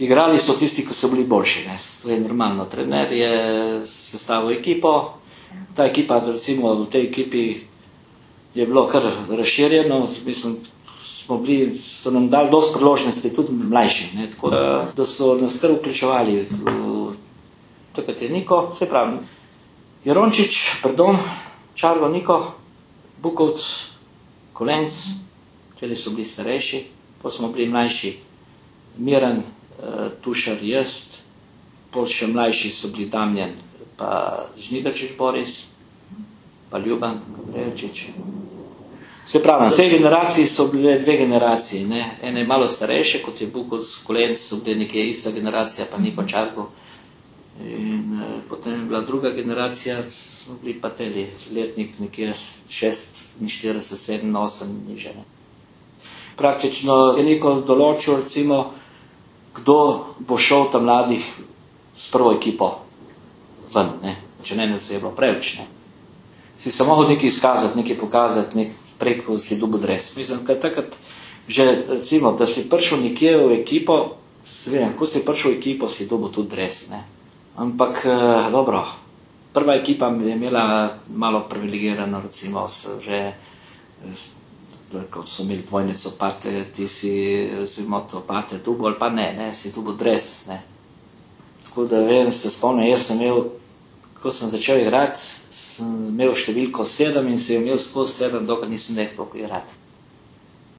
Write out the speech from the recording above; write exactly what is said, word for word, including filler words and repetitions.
Igrali so tisti, ki so bili boljši, ne. To je normalno. Trener je sestavil ekipo, ta ekipa, recimo v tej ekipi je bilo kar razširjeno, mislim, smo bili, so nam dali dosti priložnosti, tudi mlajši, ne, tako da, da so nas kar vključevali. Takrat je Niko, se pravi, Jerončič, pardon, Čarlo, Niko, Bukovc, Kolenc, teli so bili starejši, pa smo bili mlajši, Miran, Tušar, jaz, pol še mlajši so bili Damjan, pa Žnidarčič Boris, pa Ljuban Gavrelčič. Se pravi, na tej generaciji so bile dve generaciji, ne? Ene malo starejše, kot je Bukovc, Kolenc, so bile nekje ista generacija, pa Niko Čarko. In eh, potem je bila druga generacija, smo bili pa teli, letnik nekje šestinštirideset, sedem, osem niže. Praktično je Niko določil, recimo, kdo bo šel tam mladih s prvo ekipo ven, ne? Če ne, ne se je bilo preveč, ne? Si se mogel nekaj izkazati, nekaj pokazati, nek preko si dobil dres. Mislim, kad takrat, že recimo, da si prišel nekje v ekipo, vem, ko si prišel v ekipo, si dobil tudi dres, ne? Ampak, eh, dobro, prva ekipa je imela malo privilegirano, recimo, so že, ko so imeli dvojnico Pate, ti si, recimo, to Pate dubo, ali pa ne, ne, si dobil dres, ne. Tako da, vem, se spomnim, jaz sem imel, ko sem začel igrati, sem imel številko sedem in sem imel skozi sedem, dokaj nisem nehal igrati.